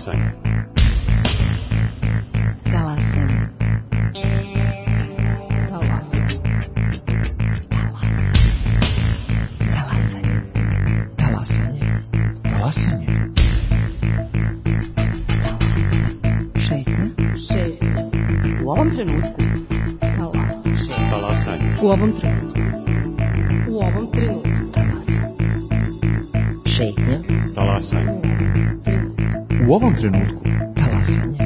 Talasanje. Talasanje. Talasanje. Talasanje. Talasanje. Šetnja. Šetnja. U ovom trenutku. Talasanje. U ovom trenutku. U ovom trenutku. Talasanje. Šetnja. Talasanje. U ovom trenutku. Talasanje.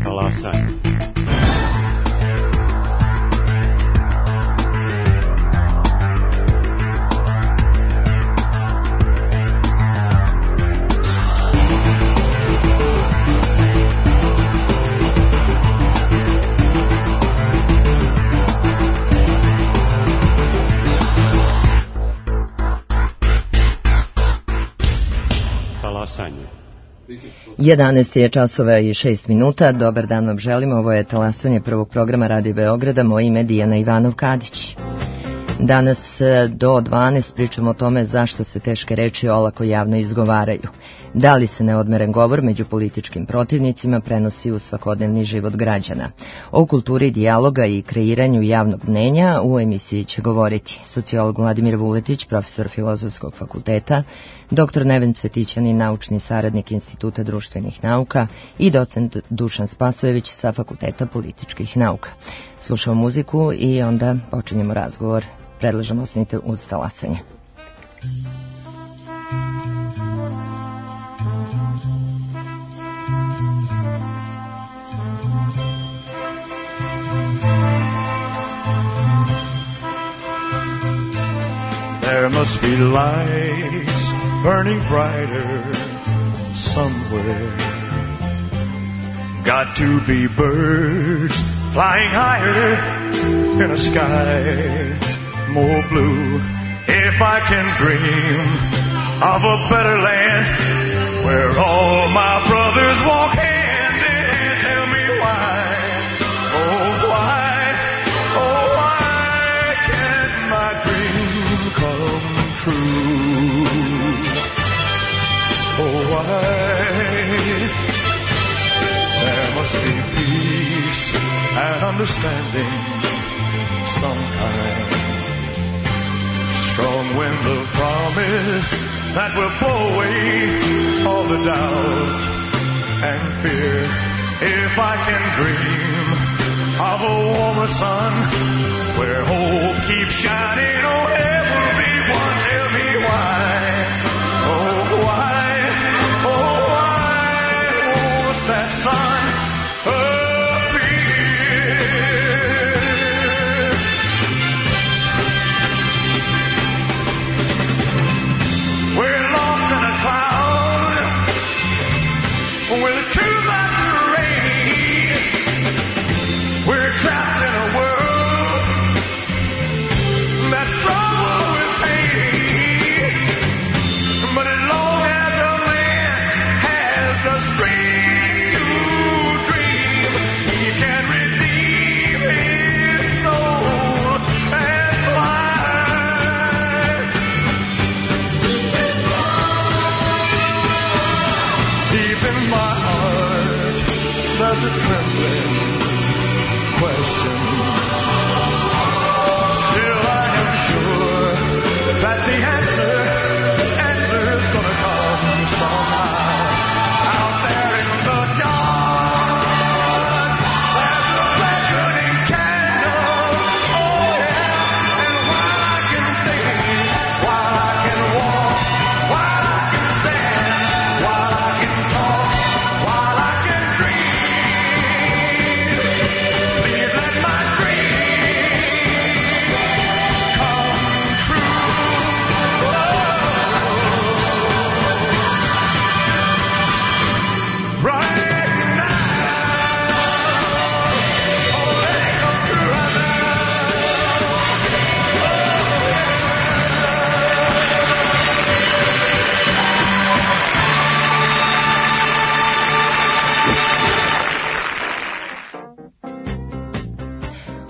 Talasanje. Talasanje. 11 je časova i 6 minuta. Dobar dan vam želimo. Ovo je Talasanje prvog programa Radio Beograda. Moje ime je Dijana Ivanov-Kadić. Danas do 12 pričamo o tome zašto se teške reči olako javno izgovaraju. Da li se neodmeren govor među političkim protivnicima prenosi u svakodnevni život građana. O kulturi dijaloga i kreiranju javnog mnenja u emisiji će govoriti sociolog Vladimir Vuletić, profesor Filozofskog fakulteta, dr. Neven Cvetićanin, naučni saradnik Instituta društvenih nauka i docent Dušan Spasojević sa Fakulteta političkih nauka. Slušamo muziku i onda počinjemo razgovor. Predlažem ostanite uz Talasanje. There must be lights burning brighter somewhere. Got to be birds flying higher in a sky more blue. If I can dream of a better land where all my brothers walk hand in hand, tell me why, oh why can't my dream come true? Oh why? There must be peace and understanding sometime. Strong wind of promise that will blow away all the doubt and fear. If I can dream of a warmer sun where hope keeps shining on everyone, tell me why, oh why, oh why won't that sun trapped in a world that's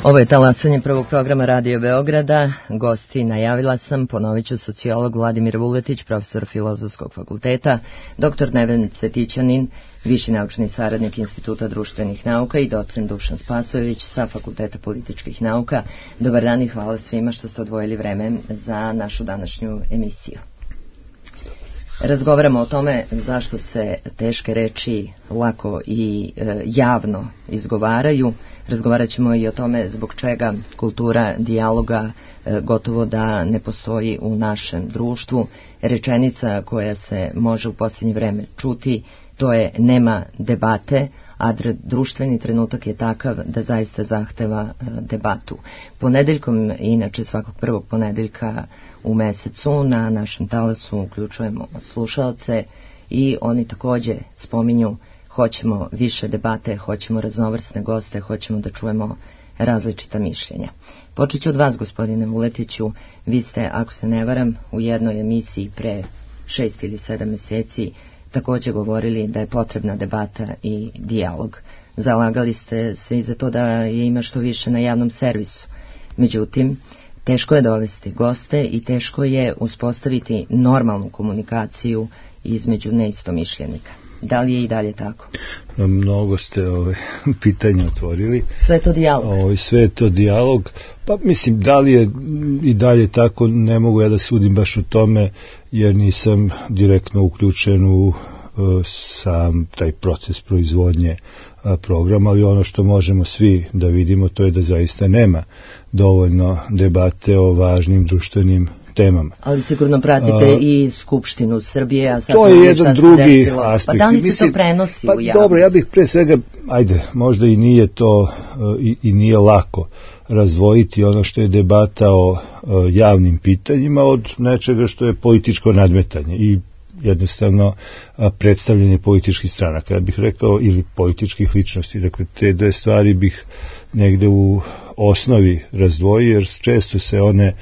Ovo je talasanje prvog programa Radio Beograda. Gosti najavila sam, ponovit ću, sociolog Vladimir Vuletić, profesor Filozofskog fakulteta, dr. Neven Cvetićanin, viši naučni saradnik Instituta društvenih nauka i docent Dušan Spasojević sa Fakulteta političkih nauka. Dobar dan i hvala svima što ste odvojili vreme za našu današnju emisiju. Razgovaramo o tome zašto se teške reči lako i javno izgovaraju. Razgovarat ćemo i o tome zbog čega kultura dijaloga gotovo da ne postoji u našem društvu. Rečenica koja se može u posljednje vreme čuti, to je nema debate, a društveni trenutak je takav da zaista zahteva debatu. Ponedeljkom, inače svakog prvog ponedeljka u mesecu, na našem talasu uključujemo slušaoce i oni također spominju hoćemo više debate, hoćemo raznovrsne goste, hoćemo da čujemo različita mišljenja. Počet ću od vas, gospodine Vuletiću. Vi ste, ako se ne varam, u jednoj emisiji pre 6 ili 7 mjeseci također govorili da je potrebna debata i dijalog. Zalagali ste se i za to da je ima što više na javnom servisu. Međutim, teško je dovesti goste i teško je uspostaviti normalnu komunikaciju između neistomišljenika. Da li je i dalje tako? Mnogo ste pitanja otvorili. Sve je to dijalog. Sve je to dijalog. Pa mislim, da li je i dalje tako, ne mogu ja da sudim baš o tome, jer nisam direktno uključen u sam taj proces proizvodnje programa, ali ono što možemo svi da vidimo, to je da zaista nema dovoljno debate o važnim društvenim temama. Ali sigurno pratite i Skupštinu Srbije, a sad to je jedan drugi aspekt. Pa da li se to prenosi u javnost? Dobro, ja bih pre svega, možda i nije to i nije lako razvojiti ono što je debata o javnim pitanjima od nečega što je političko nadmetanje i jednostavno predstavljanje političkih stranaka, ja bih rekao, ili političkih ličnosti. Dakle, te dve stvari bih negde u osnovi razdvojio, jer često se one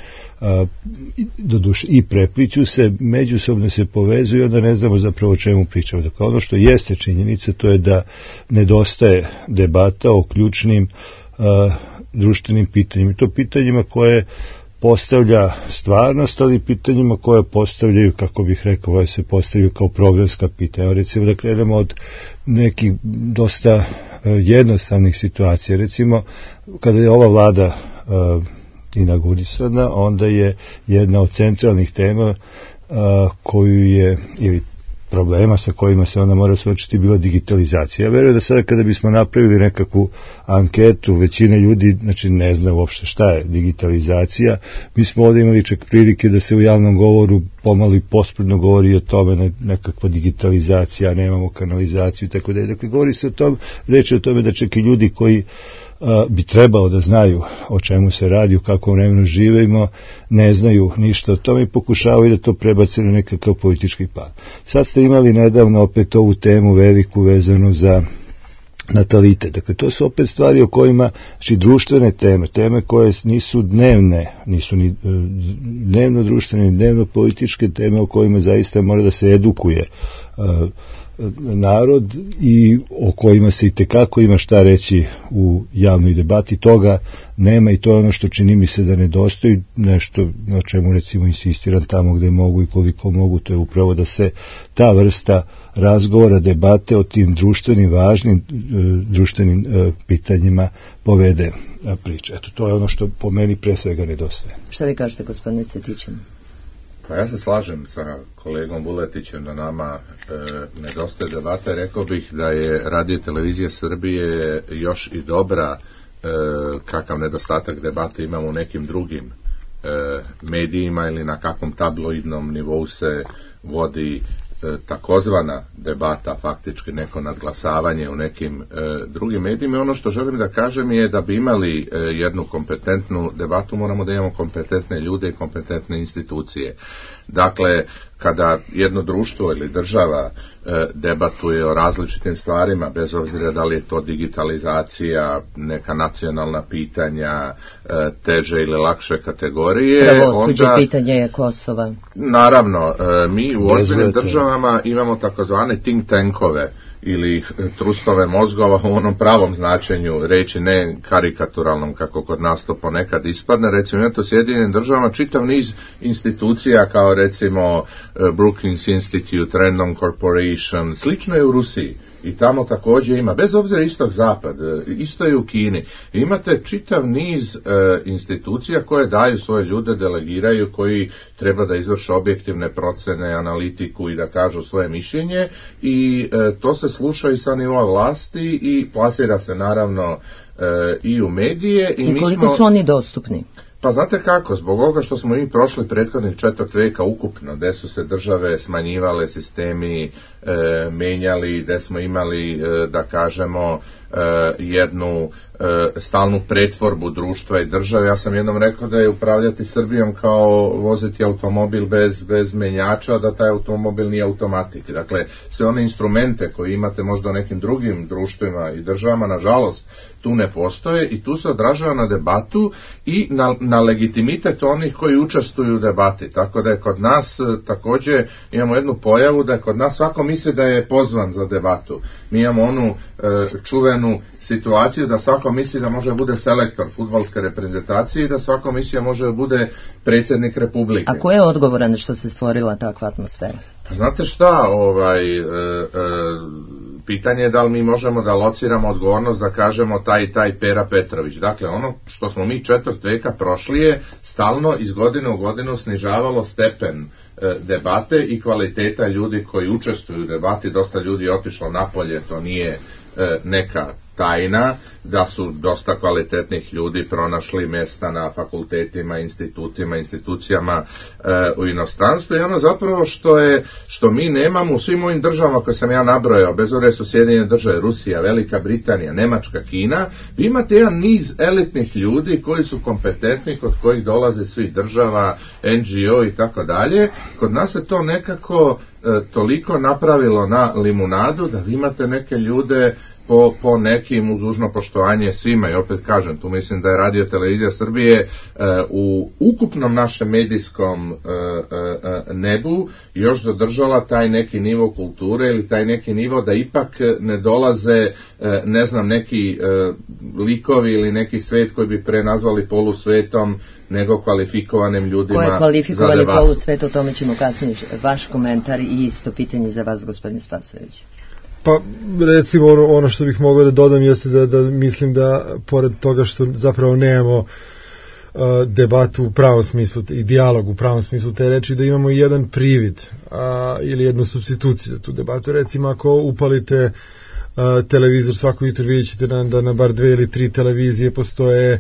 doduše i prepliću se, međusobno se povezuju i onda ne znamo zapravo o čemu pričamo. Dakle, ono što jeste činjenica, to je da nedostaje debata o ključnim društvenim pitanjima. I to pitanjima koje postavlja stvarnost, ali pitanjima koje postavljaju, kako bih rekao, se postavljaju kao programska pitanja. Recimo da krenemo od nekih dosta jednostavnih situacija. Recimo, kada je ova vlada inaugurisana, onda je jedna od centralnih tema koju je, ili problema sa kojima se ona mora suočiti, bila digitalizacija. Ja verujem da sada kada bismo napravili nekakvu anketu, većina ljudi ne zna uopšte šta je digitalizacija. Mi smo ovdje imali čak prilike da se u javnom govoru pomalo i pospredno govori o tome, nekakva digitalizacija, nemamo kanalizaciju i tako da je. Dakle, govori se o tom, reči o tome da čak i ljudi koji bi trebao da znaju o čemu se radi, u kakvom vremenu živimo, ne znaju ništa o tome i pokušavaju da to prebace na nekakav politički plan. Sad ste imali nedavno opet ovu temu veliku vezanu za natalitet. Dakle, to su opet stvari o kojima, znači društvene teme koje nisu dnevne, nisu ni dnevno društvene, ni dnevno političke teme o kojima zaista mora da se edukuje narod i o kojima se i tekako ima šta reći u javnoj debati. Toga nema i to je ono što čini mi se da nedostaje, nešto na čemu recimo insistiram tamo gde mogu i koliko mogu, to je upravo da se ta vrsta razgovora, debate o tim društvenim, važnim društvenim pitanjima povede priča. Eto, to je ono što po meni pre svega nedostaje. Šta vi kažete, gospodine Cvetićanin? Pa ja se slažem sa kolegom Vuletićem da nama nedostaje debata. Rekao bih da je Radio Televizija Srbije još i dobra, kakav nedostatak debate imamo u nekim drugim medijima ili na kakvom tabloidnom nivou se vodi takozvana debata, faktički neko nadglasavanje u nekim drugim medijima. Ono što želim da kažem je da bi imali jednu kompetentnu debatu, moramo da imamo kompetentne ljude i kompetentne institucije. Dakle, kada jedno društvo ili država debatuje o različitim stvarima, bez obzira da li je to digitalizacija, neka nacionalna pitanja, teže ili lakše kategorije, pravosuđe, pitanje je Kosova. Naravno, mi u ozbiljnim državama imamo takozvane think tankove ili trustove mozgova u onom pravom značenju reći, ne karikaturalnom kako kod nas to ponekad ispadne. Recimo imate u Sjedinjenim Državama čitav niz institucija kao recimo Brookings Institute, Random Corporation, slično je u Rusiji. I tamo također ima, bez obzira istog zapad, isto je u Kini. Imate čitav niz institucija koje daju svoje ljude, delegiraju, koji treba da izvrše objektivne procene, analitiku i da kažu svoje mišljenje i to se sluša i sa nivoa vlasti i plasira se naravno i u medije. I koliko su oni dostupni? Pa znate kako, zbog ovoga što smo mi prošli prethodnih 4 veka ukupno, gde su se države smanjivale, sistemi menjali, gde smo imali, da kažemo, jednu stalnu pretvorbu društva i države. Ja sam jednom rekao da je upravljati Srbijom kao voziti automobil bez menjača, da taj automobil nije automatik. Dakle, sve one instrumente koje imate možda u nekim drugim društvima i državama, nažalost, tu ne postoje i tu se odražava na debatu i na legitimitet onih koji učestvuju u debati. Tako da je kod nas također imamo jednu pojavu da je kod nas svako misli da je pozvan za debatu. Mi imamo onu čuvenu situaciju da svako misli da može bude selektor fudbalske reprezentacije i da svako misli da može bude predsjednik Republike. A ko je odgovoran što se stvorila takva atmosfera? Pa znate šta, pitanje je da li mi možemo da lociramo odgovornost da kažemo taj Pera Petrović. Dakle, ono što smo mi 4 veka prošli je stalno iz godine u godinu snižavalo stepen debate i kvaliteta ljudi koji učestvuju u debati. Dosta ljudi je otišlo napolje, to nije neka tajna, da su dosta kvalitetnih ljudi pronašli mjesta na fakultetima, institutima, institucijama u inostranstvu i ono zapravo što mi nemamo u svim ovim državama koje sam ja nabrojao, bez obzira su Sjedinjene Države, Rusija, Velika Britanija, Nemačka, Kina, vi imate jedan niz elitnih ljudi koji su kompetentni, kod kojih dolaze svih država, NGO i tako dalje. Kod nas se to nekako toliko napravilo na limunadu da vi imate neke ljude po nekim, uz dužno poštovanje svima, i opet kažem, tu mislim da je Radio Televizija Srbije u ukupnom našem medijskom nebu još zadržala taj neki nivo kulture ili taj neki nivo da ipak ne dolaze, ne znam, neki likovi ili neki svet koji bi prenazvali polusvetom nego kvalifikovanim ljudima. Ko je kvalifikovani polusvet, o tome ćemo kasnije. Vaš komentar i isto pitanje za vas, gospodine Spasojević. Pa recimo ono što bih mogao da dodam jeste da mislim da pored toga što zapravo nemamo debatu u pravom smislu i dijalog u pravom smislu te reči, da imamo i jedan privid ili jednu supstituciju za tu debatu. Recimo ako upalite televizor svako jutro, vidjet ćete da na bar 2 ili 3 televizije postoje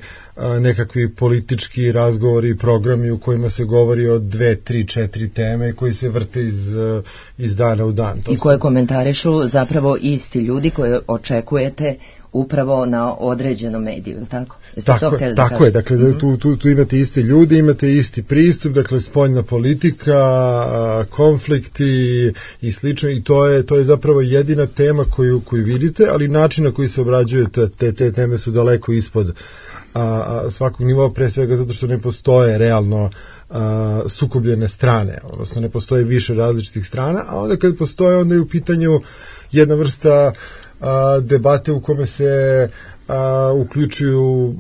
nekakvi politički razgovori i programi u kojima se govori o 2, 3, 4 teme koji se vrte iz dana u dan. I koje komentarišu zapravo isti ljudi koje očekujete upravo na određenom mediju, ili tako? Tako je, dakle tu imate isti ljudi, imate isti pristup, dakle spoljna politika, konflikti i slično, i to je zapravo jedina tema koju vidite, ali način na koji se obrađuje te teme su daleko ispod svakog nivoa, pre svega zato što ne postoje realno sukobljene strane, odnosno ne postoje više različitih strana, a onda kad postoje, onda je u pitanju jedna vrsta debate u kome se uključuju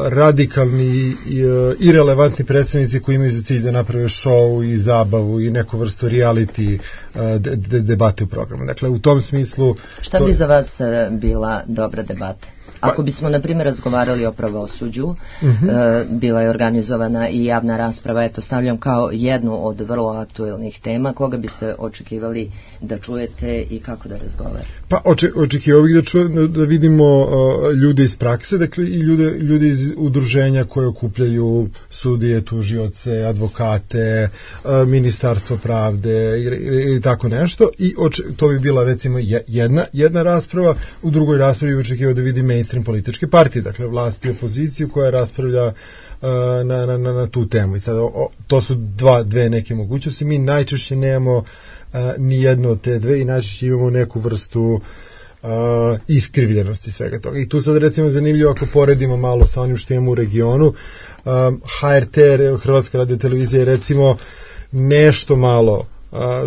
radikalni i relevantni predstavnici koji imaju za cilj da naprave show i zabavu i neku vrstu reality debate u programu. Dakle, u tom smislu... Šta bi za vas bila dobra debata? Ako bismo, na primjer, razgovarali o pravosuđu, bila je organizovana i javna rasprava, eto, stavljam kao jednu od vrlo aktuelnih tema, koga biste očekivali da čujete i kako da razgovarate? Pa, očekivao bih da vidimo ljude iz prakse, dakle i ljude iz udruženja koje okupljaju sudije, tužioce, advokate, ministarstvo pravde ili tako nešto, i to bi bila recimo jedna rasprava. U drugoj raspravi očekivao da vidim mainstream političke partije, dakle vlasti i opoziciju koja raspravlja na tu temu. I sad, to su dve neke mogućnosti. Mi najčešće nemamo ni jedno od te dve i najčešće imamo neku vrstu iskrivljenosti svega toga. I tu sad recimo zanimljivo ako poredimo malo sa onim što imamo u regionu, HRT, Hrvatska radio televizija, je recimo nešto malo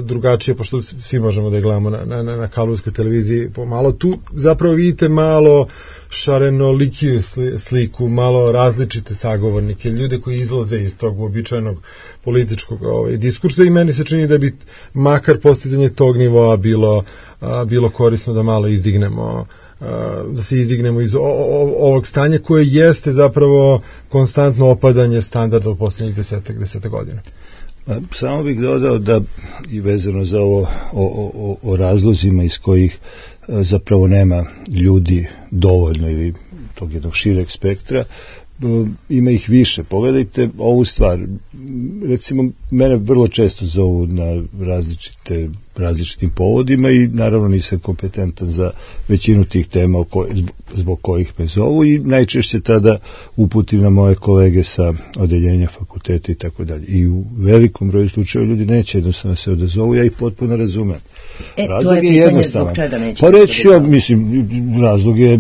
drugačije, pošto svi možemo da je gledamo na kablovskoj televiziji pomalo. Tu zapravo vidite malo šarenolikiju sliku, malo različite sagovornike, ljude koji izlaze iz tog uobičajenog političkog diskursa i meni se čini da bi makar postizanje tog nivoa bilo korisno da malo izdignemo, da se izdignemo iz ovog stanja koje jeste zapravo konstantno opadanje standarda u poslednjih deseta godina. Samo bih dodao da i vezano za ovo o razlozima iz kojih zapravo nema ljudi dovoljno ili tog jednog šireg spektra, ima ih više. Pogledajte ovu stvar, recimo mene vrlo često zovu na različitim povodima i naravno nisam kompetentan za većinu tih tema zbog kojih me zovu i najčešće tada uputim na moje kolege sa odeljenja fakulteta i tako dalje. I u velikom broju slučajeva ljudi neće jednostavno se odazovu, ja ih potpuno razumem. Razlog je jednostavan. Pa reći ja, mislim, razlog je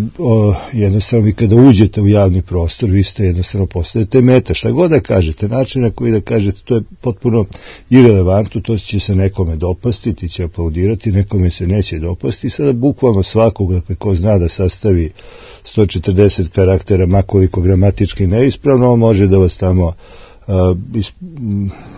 jednostavno, vi kada uđete u javni prostor, vi ste jednostavno postajete meta. Šta god da kažete, način na koji da kažete, to je potpuno irelevantno, to će se nekome dopasti, ti će aplaudirati, nekome se neće dopasti. Sada bukvalno svakog, dakle, ko zna da sastavi 140 karaktera, makoliko gramatički neispravno, on može da vas tamo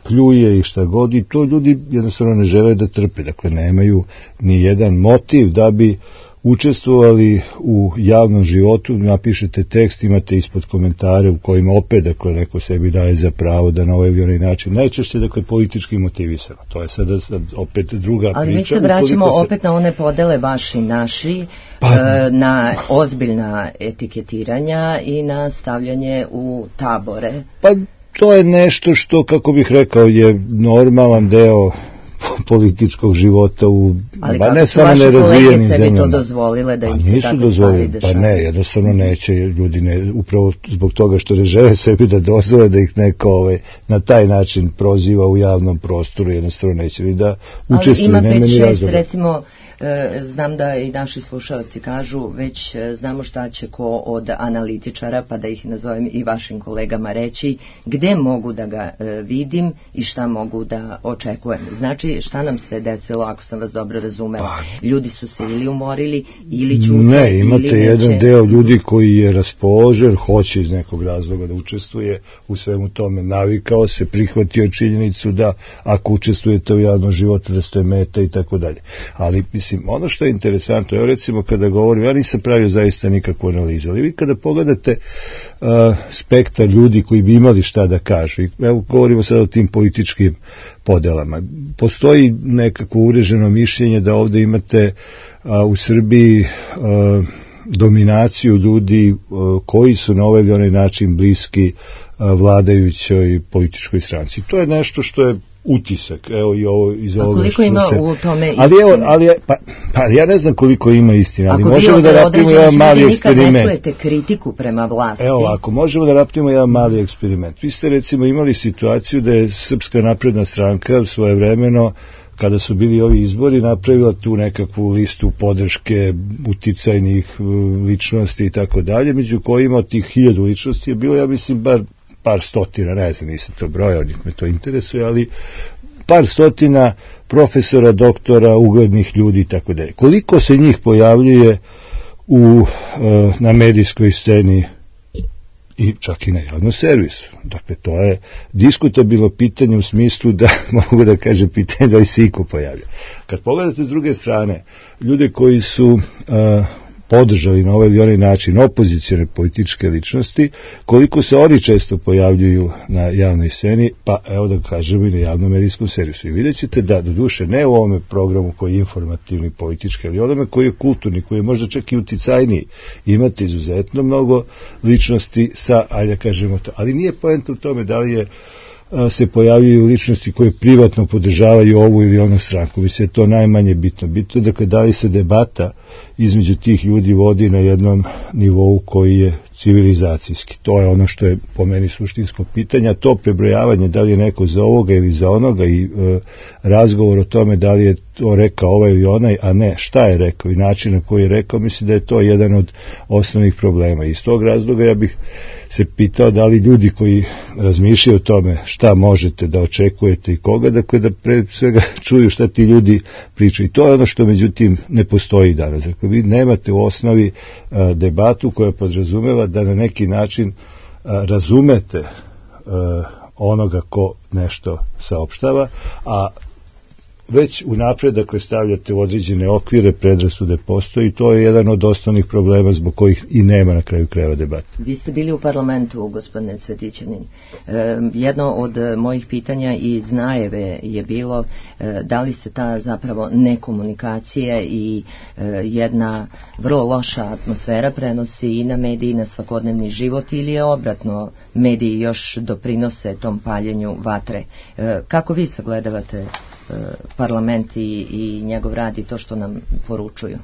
pljuje i šta god, i to ljudi jednostavno ne žele da trpe, dakle nemaju ni jedan motiv da bi učestvovali u javnom životu. Napišete tekst, imate ispod komentare u kojima opet, dakle, neko sebi daje za pravo da na ovaj ili onaj način, najčešće, dakle, politički motivisano. To je sad opet druga priča. Ali mi se vraćamo opet na one podele vaši naši, na ozbiljna etiketiranja i na stavljanje u tabore. Pa to je nešto što, kako bih rekao, je normalan deo političkog života u, ne samo nerazvijenim zemljama. Ali kako su vaše kolege sebi to dozvolile da im se takve stvari dešavaju? Pa ne, jednostavno neće, ljudi ne, upravo zbog toga što ne žele sebi da dozvole da ih neko na taj način proziva u javnom prostoru, jednostavno neće ni da učestvuju. Ali ima 5-6, recimo, znam da i naši slušalci kažu, već znamo šta će ko od analitičara, pa da ih nazovem i vašim kolegama, reći gde mogu da ga vidim i šta mogu da očekujem. Znači, šta nam se desilo, ako sam vas dobro razumela? Ljudi su se ili umorili, ili ćute, ne, imate jedan deo ljudi koji je raspoložen, hoće iz nekog razloga da učestvuje u svemu tome, navikao se, prihvatio činjenicu da ako učestvujete u javnom životu da ste meta i tako dalje. Ali mislim, ono što je interesantno, evo recimo kada govorim, ja nisam pravio zaista nikakvu analizu, ali vi kada pogledate spektar ljudi koji bi imali šta da kažu, i evo govorimo sad o tim političkim podelama, postoji nekako ureženo mišljenje da ovde imate u Srbiji dominaciju ljudi koji su na ovaj ili onaj način bliski vladajućoj političkoj stranci. To je nešto što je utisak, evo i ovo iz ovoga. A koliko ima u tome istine? Ali ja ne znam koliko ima istine, ali možemo da napravimo jedan mali eksperiment. Nikad ne čujete kritiku prema vlasti. Evo, ako možemo da napravimo jedan mali eksperiment. Vi ste recimo imali situaciju da je Srpska napredna stranka svojevremeno, kada su bili ovi izbori, napravila tu nekakvu listu podrške uticajnih ličnosti i tako dalje, među kojima od tih 1000 ličnosti je bilo, ja mislim, bar par stotina, ne znam, nisam to brojao, nik me to interesuje, ali par stotina profesora, doktora, uglednih ljudi i tako dalje. Koliko se njih pojavljuje na medijskoj sceni i čak i na javnom servisu? Dakle, to je diskutabilno pitanje u smislu da, mogu da kažem, pitanje da li se iko pojavlja. Kad pogledate s druge strane, ljude koji su podržali na ovaj ili onaj način opozicione političke ličnosti, koliko se oni često pojavljuju na javnoj sceni, pa evo da kažemo i na javnom medijskom servisu. I vidjet ćete da, doduše, ne u ovome programu koji je informativni, politički, ali onome koji je kulturni, koji je možda čak i uticajniji, imate izuzetno mnogo ličnosti sa, ajde kažemo to, ali nije poenta u tome da li je se pojavljaju ličnosti koje privatno podržavaju ovu ili onu stranku. Mislim, je to najmanje bitno. Bitno je, dakle, da li se debata između tih ljudi vodi na jednom nivou koji je civilizacijski. To je ono što je po meni suštinsko pitanje, a to prebrojavanje da li je neko za ovoga ili za onoga i razgovor o tome da li je to rekao ovaj ili onaj, a ne šta je rekao i način na koji je rekao, mislim da je to jedan od osnovnih problema. Iz tog razloga ja bih se pitao da li ljudi koji razmišljaju o tome šta možete da očekujete i koga, dakle da pre svega čuju šta ti ljudi pričaju. I to je ono što međutim ne postoji danas. Dakle, vi nemate u osnovi debatu koja podrazumeva da na neki način razumete onoga ko nešto saopštava, a već unapred, dakle, stavljate u određene okvire, predrasude postoji, to je jedan od osnovnih problema zbog kojih i nema na kraju krajeva debata. Vi ste bili u parlamentu, gospodine Cvetićanin. Jedno od mojih pitanja iz najave je bilo da li se ta zapravo nekomunikacija i jedna vrlo loša atmosfera prenosi i na mediji i na svakodnevni život, ili je obratno, mediji još doprinose tom paljenju vatre. Kako vi sagledavate parlament i njegov rad i to što nam poručuju?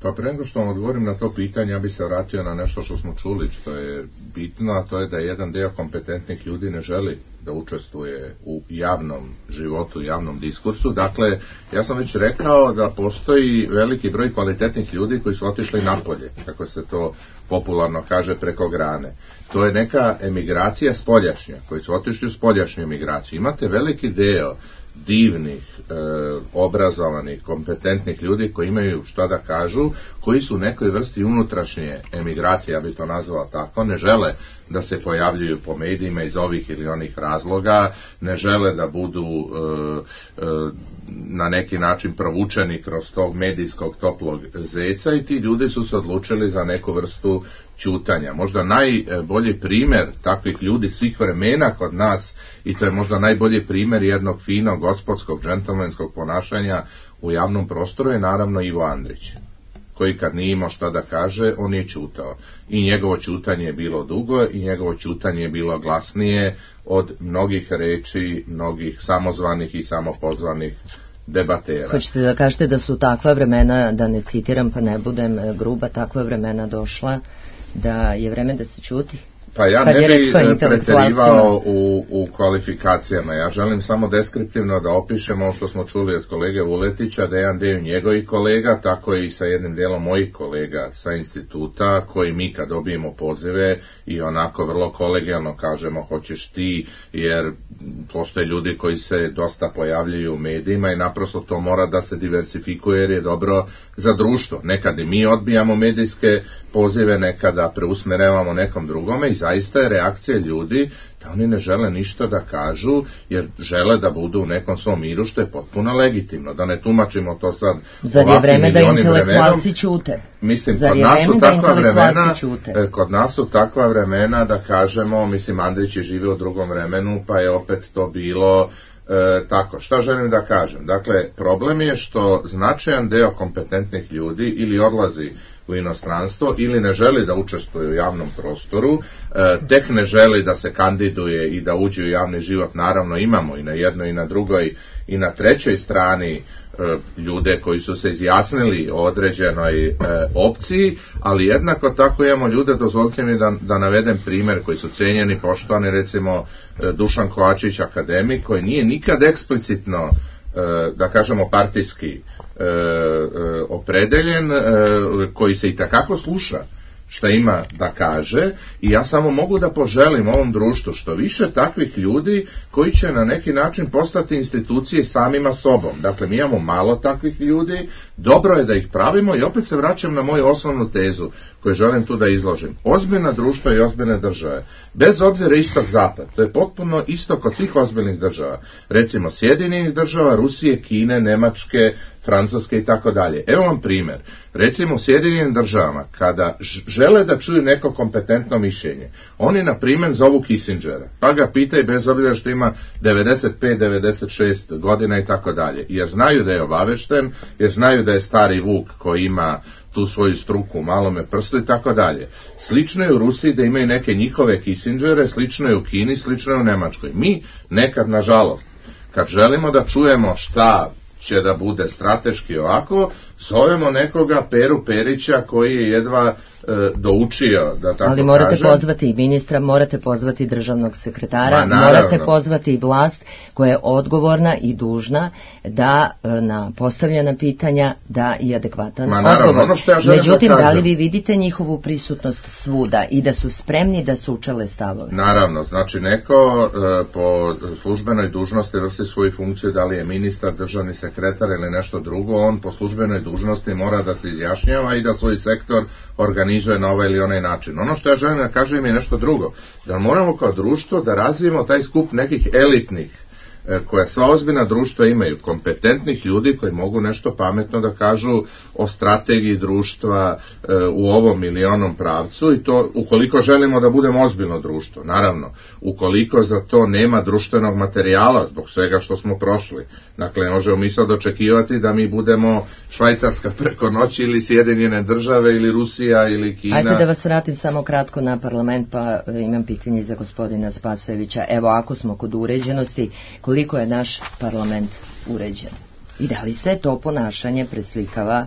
Pa pre nego što vam odgovorim na to pitanje, ja bih se vratio na nešto što smo čuli, što je bitno, a to je da jedan deo kompetentnih ljudi ne želi da učestvuje u javnom životu, u javnom diskursu. Dakle, ja sam već rekao da postoji veliki broj kvalitetnih ljudi koji su otišli napolje, kako se to popularno kaže, preko grane. To je neka emigracija spoljašnja, koji su otišli u spoljašnju emigraciju. Imate veliki deo divnih, obrazovanih, kompetentnih ljudi koji imaju šta da kažu, koji su u nekoj vrsti unutrašnje emigracije, ja bih to nazvao tako, ne žele da se pojavljuju po medijima iz ovih ili onih razloga, ne žele da budu na neki način provučeni kroz tog medijskog toplog zeca i ti ljudi su se odlučili za neku vrstu ćutanja. Možda najbolji primjer takvih ljudi svih vremena kod nas, i to je možda najbolji primjer jednog finog, gospodskog, džentlmenskog ponašanja u javnom prostoru, je naravno Ivo Andrić, koji kad nije imao šta da kaže, on je ćutao. I njegovo ćutanje je bilo dugo i njegovo ćutanje je bilo glasnije od mnogih reči, mnogih samozvanih i samopozvanih debatera. Hoćete da kažete da su takva vremena, da ne citiram pa ne budem gruba, takva vremena došla da je vreme da se ćuti? Pa ja ne bih preterivao u kvalifikacijama. Ja želim samo deskriptivno da opišem ovo što smo čuli od kolege Vuletića, da je jedan dio njegovih kolega, tako i sa jednim dijelom mojih kolega sa instituta, koji mi kad dobijemo pozive i onako vrlo kolegijalno kažemo hoćeš ti, jer postoje ljudi koji se dosta pojavljaju u medijima i naprosto to mora da se diversifikuje jer je dobro za društvo. Nekad i mi odbijamo medijske pozive, nekada preusmerevamo nekom drugome i zaista je reakcija ljudi da oni ne žele ništa da kažu jer žele da budu u nekom svom miru, što je potpuno legitimno, da ne tumačimo to sad zar je vreme da intelektualci ćute? Mislim, kod nas su takva vremena da kažemo, mislim, Andrić je živio u drugom vremenu pa je opet to bilo tako. Šta želim da kažem? Dakle, problem je što značajan deo kompetentnih ljudi ili odlazi u inostranstvo ili ne želi da učestvuje u javnom prostoru, tek ne želi da se kandiduje i da uđe u javni život. Naravno imamo i na jednoj i na drugoj i na trećoj strani ljude koji su se izjasnili o određenoj opciji, ali jednako tako imamo ljude, dozvolite mi da navedem primjer koji su cenjeni, poštovani, recimo Dušan Kovačić, akademik, koji nije nikad eksplicitno, da kažemo, partijski opredeljen, koji se i takako sluša šta ima da kaže, i ja samo mogu da poželim ovom društvu što više takvih ljudi koji će na neki način postati institucije samima sobom. Dakle, mi imamo malo takvih ljudi, dobro je da ih pravimo i opet se vraćam na moju osnovnu tezu koju želim tu da izložim. Ozbiljna društva i ozbiljne države, bez obzira istok-zapad, to je potpuno isto kod svih ozbiljnih država, recimo Sjedinjenih država, Rusije, Kine, Nemačke, Francuske i tako dalje. Evo vam primjer. Recimo u Sjedinjenim državama, kada žele da čuju neko kompetentno mišljenje, oni na primjer zovu Kissingera, pa ga pitaju bez obzira što ima 95-96 godina i tako dalje, jer znaju da je obavešten, jer znaju da je stari Vuk koji ima tu svoju struku u malome prstu i tako dalje. Slično je u Rusiji da imaju neke njihove Kissingere, slično je u Kini, slično je u Nemačkoj. Mi nekad, nažalost, kad želimo da čujemo šta će da bude strateški ovako, Zovemo nekoga Peru Perića koji je jedva doučio, da tako ali morate kažem. pozvati i ministra, morate pozvati državnog sekretara, Ma, morate pozvati i vlast koja je odgovorna i dužna da na postavljena pitanja da i adekvatan odgovor. Ono što ja želim Međutim, da kažem, da li vi vidite njihovu prisutnost svuda i da su spremni da sučele stavove? Naravno, znači neko po službenoj dužnosti vrši svoju funkciju, da li je ministar, državni sekretar ili nešto drugo, on po službenoj dužnosti mora da se izjašnjava i da svoj sektor organizuje na ovaj ili onaj način. Ono što ja želim da kažem je nešto drugo, da moramo kao društvo da razvijemo taj skup nekih elitnih, koja sva ozbiljna društva imaju, kompetentnih ljudi koji mogu nešto pametno da kažu o strategiji društva u ovom ili onom pravcu, i to ukoliko želimo da budemo ozbiljno društvo. Naravno, ukoliko za to nema društvenog materijala zbog svega što smo prošli, dakle ne možemo mi sad očekivati da mi budemo Švajcarska preko noći ili Sjedinjene države ili Rusija ili Kina. Ajde da vas vratim samo kratko na parlament, pa imam pitanje za gospodina Spasojevića. Evo, ako smo kod uređenosti, koliko je naš parlament uređen? I da li se to ponašanje preslikava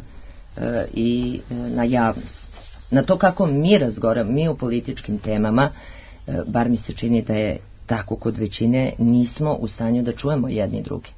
i na javnost? Na to kako mi razgovaramo, mi u političkim temama, bar mi se čini da je tako kod većine, nismo u stanju da čujemo jedni drugi.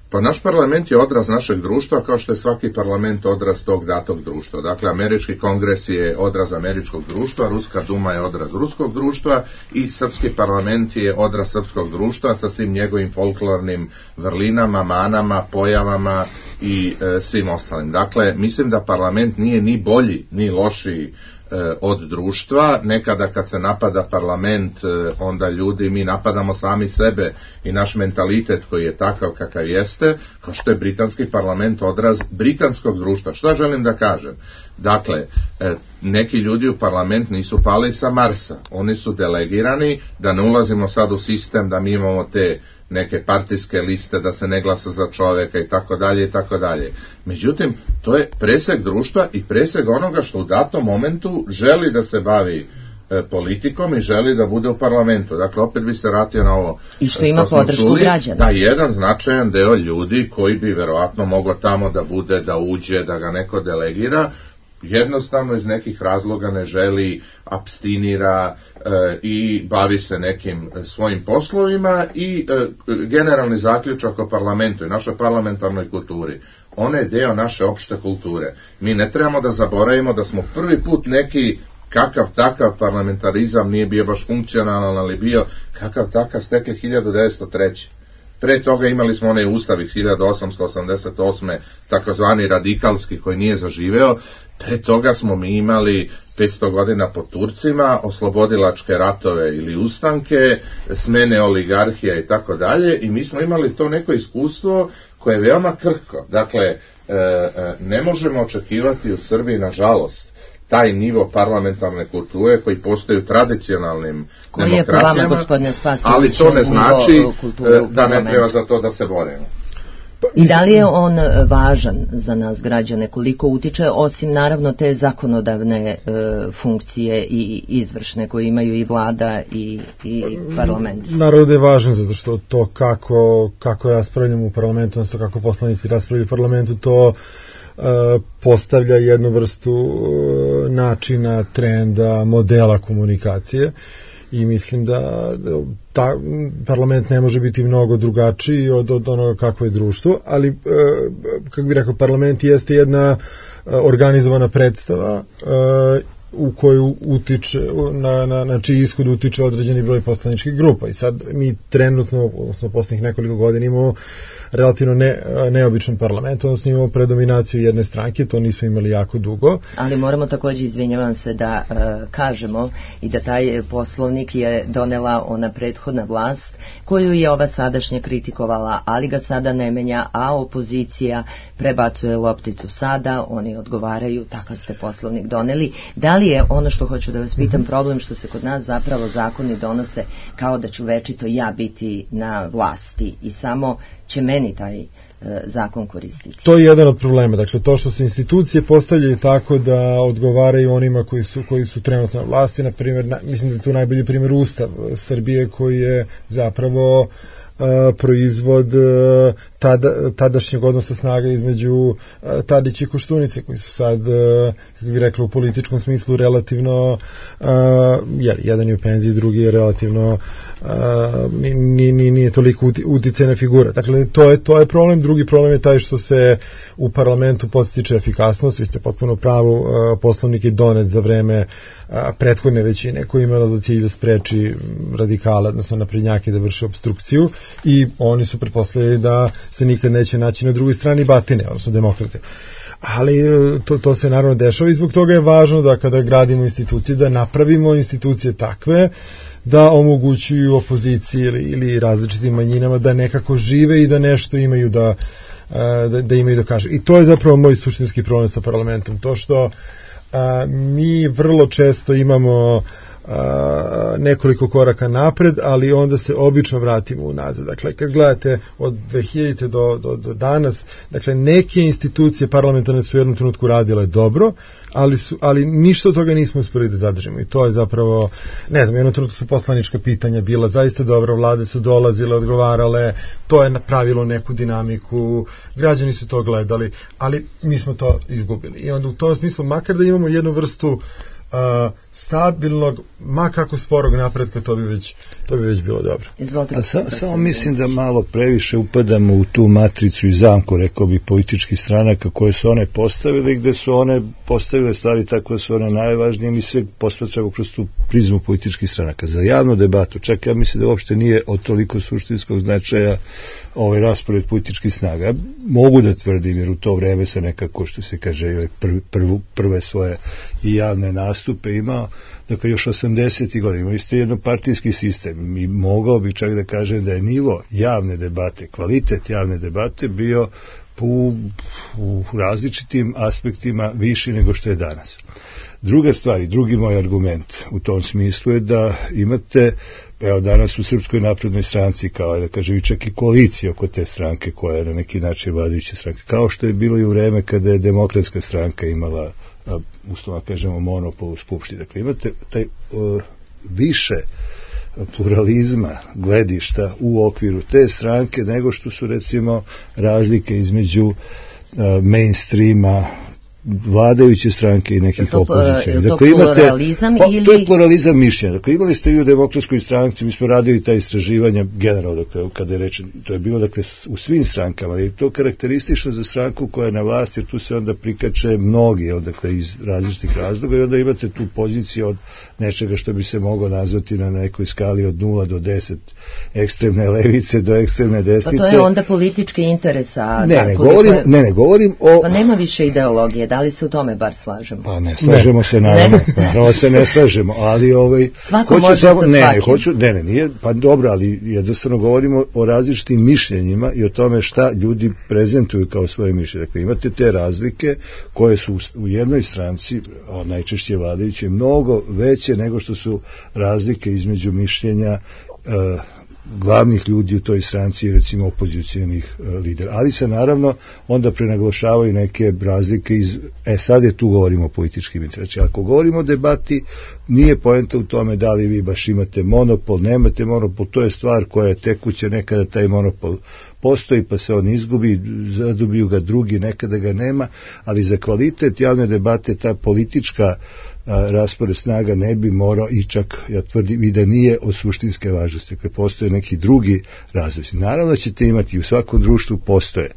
Pa naš parlament je odraz našeg društva, kao što je svaki parlament odraz tog datog društva. Dakle, američki kongres je odraz američkog društva, Ruska duma je odraz ruskog društva i srpski parlament je odraz srpskog društva sa svim njegovim folklornim vrlinama, manama, pojavama i svim ostalim. Dakle, mislim da parlament nije ni bolji, ni lošiji od društva. Nekada kad se napada parlament, onda ljudi, mi napadamo sami sebe i naš mentalitet koji je takav kakav jeste, kao što je britanski parlament odraz britanskog društva. Šta želim da kažem? Dakle, neki ljudi u parlament nisu pali sa Marsa, oni su delegirani, da ne ulazimo sad u sistem da mi imamo te neke partijske liste, da se ne glasa za čoveka i tako dalje i tako dalje. Međutim, to je presek društva i presek onoga što u datom momentu želi da se bavi politikom i želi da bude u parlamentu. Dakle, opet bi se vratio na ovo. I što ima podršku građana. Da, jedan značajan deo ljudi koji bi verovatno mogao tamo da bude, da uđe, da ga neko delegira, jednostavno iz nekih razloga ne želi, apstinira i bavi se nekim svojim poslovima i generalni zaključak o parlamentu i našoj parlamentarnoj kulturi. Ona je deo naše opšte kulture. Mi ne trebamo da zaboravimo da smo prvi put neki kakav takav parlamentarizam, nije bio baš funkcionalan, ali bio kakav takav stekli 1903. Pre toga imali smo onaj ustav 1888. takozvani radikalski koji nije zaživeo. Pre toga smo mi imali 500 godina po Turcima, oslobodilačke ratove ili ustanke, smene oligarhija i tako dalje, i mi smo imali to neko iskustvo koje je veoma krhko. Dakle, ne možemo očekivati u Srbiji, nažalost, taj nivo parlamentarne kulture koji postoji u tradicionalnim demokratijama, ali to ne znači da ne treba za to da se borimo. I da li je on važan za nas građane, koliko utiče, osim naravno te zakonodavne funkcije i izvršne koje imaju i vlada i parlament? Naravno da je važan, zato što to kako raspravljamo u parlamentu, odnosno kako poslanici raspravljaju u parlamentu, to postavlja jednu vrstu načina, trenda, modela komunikacije, i mislim da parlament ne može biti mnogo drugačiji od onoga kakvo je društvo, ali kako bih rekao, parlament jeste jedna organizovana predstava u koju utiče, na čiji ishod utiče određeni broj poslaničkih grupa, i sad mi trenutno, odnosno poslednjih nekoliko godina, imamo relativno neobičan parlament, odnosno imamo predominaciju jedne stranke, to nismo imali jako dugo. Ali moramo također, izvinjavam se, da kažemo i da taj poslovnik je donela ona prethodna vlast koju je ova sadašnja kritikovala, ali ga sada ne menja, a opozicija prebacuje lopticu sada, oni odgovaraju, takav ste poslovnik doneli. Da li je, ono što hoću da vas pitam, problem što se kod nas zapravo zakoni donose kao da ću večito ja biti na vlasti i samo će meni taj zakon koristiti? To je jedan od problema. Dakle, to što se institucije postavljaju tako da odgovaraju onima koji su trenutno na vlasti, na primjer, mislim da je tu najbolji primjer Ustav Srbije, koji je zapravo proizvod tadašnjeg odnosa snaga između Tadića i Koštunice, koji su sad, kako bih rekla, u političkom smislu relativno, jedan je u penziji, drugi je relativno nije toliko uticajna figura. Dakle, to je problem. Drugi problem je taj što se u parlamentu podstiče efikasnost. Vi ste potpuno pravu, Poslovnik je donet za vreme prethodne većine koja je imala za cilj da spreči radikale, odnosno naprednjake da vrše obstrukciju, i oni su pretpostavili da se nikad neće naći na drugoj strani batine, odnosno demokrate. Ali to se naravno dešava i zbog toga je važno da kada gradimo institucije, da napravimo institucije takve da omogućuju opoziciji ili različitim manjinama da nekako žive i da nešto imaju da imaju da kažu. I to je zapravo moj suštinski problem sa parlamentom. To što mi vrlo često imamo nekoliko koraka napred, ali onda se obično vratimo unazad. Dakle, kad gledate od 2000. do danas, dakle, neke institucije parlamentarne su u jednom trenutku radile dobro, ali ništa od toga nismo uspeli da zadržimo. I to je zapravo, ne znam, u jednom trenutku su poslanička pitanja bila zaista dobra, vlade su dolazile, odgovarale, to je napravilo neku dinamiku, građani su to gledali, ali mi smo to izgubili. I onda u tom smislu, makar da imamo jednu vrstu stabilnog, ma kako sporog napretka, to bi već bilo dobro. Samo mislim da malo previše upadamo u tu matricu i zamku, rekao bi, političkih stranaka koje su one postavile, gde su one postavile stvari tako da su one najvažnije, mi sve posmatramo kroz tu prizmu političkih stranaka. Za javnu debatu, čak ja mislim da uopšte nije od toliko suštinskog značaja ovaj raspored političkih snaga. Mogu da tvrdim, jer u to vreme se nekako, što se kaže, prve svoje i javne nastupe imao, dakle još 80. godina, imali ste jednopartijski sistem i mogao bi čak da kažem da je nivo javne debate, kvalitet javne debate bio u različitim aspektima viši nego što je danas. Druga stvar i drugi moj argument u tom smislu je da imate, evo danas u Srpskoj naprednoj stranci, kao da kažem i čak i koalicija oko te stranke koja je na neki način vladajuća stranka, kao što je bilo i u vreme kada je Demokratska stranka imala, uslovno kažemo, monopol u Skupštini. Dakle, imate taj više pluralizma gledišta u okviru te stranke nego što su, recimo, razlike između mainstreama vladajuće stranke i nekih opozicija. Dakle, pluralizam ili... To je pluralizam mišljenja. Dakle, imali ste i u Demokratskoj stranci, mi smo radili ta istraživanja generalno, dakle, kada je rečeno, to je bilo, dakle, u svim strankama, i to karakteristično za stranku koja je na vlasti, jer tu se onda prikače mnogi, dakle, iz različitih razloga, i onda imate tu poziciju od nečega što bi se moglo nazvati na nekoj skali od 0 do 10, ekstremne levice do ekstremne desnice. Pa to je onda politički interes, a... Ne, govorim o... Pa nema više ideologije. Da li se u tome bar slažemo? Pa ne slažemo se, naravno se ne slažemo, ali svako može sa svakim. Nije, pa dobro, ali jednostavno govorimo o različitim mišljenjima i o tome šta ljudi prezentuju kao svoje mišljenje. Dakle, imate te razlike koje su u jednoj stranci, najčešće vladajuće, mnogo veće nego što su razlike između mišljenja glavnih ljudi u toj stranci, recimo opozicijalnih lidera. Ali se naravno onda prenaglašavaju neke razlike sad je tu govorimo o političkim interesima. Ako govorimo o debati, nije poenta u tome da li vi baš imate monopol, nemate monopol, to je stvar koja je tekuća, nekada taj monopol postoji pa se on izgubi, zadobiju ga drugi, nekada ga nema, ali za kvalitet javne debate ta politička raspored snaga ne bi morao, i čak ja tvrdim i da nije od suštinske važnosti. Dakle, postoje neki drugi razlozi. Naravno ćete imati, u svakom društvu postoje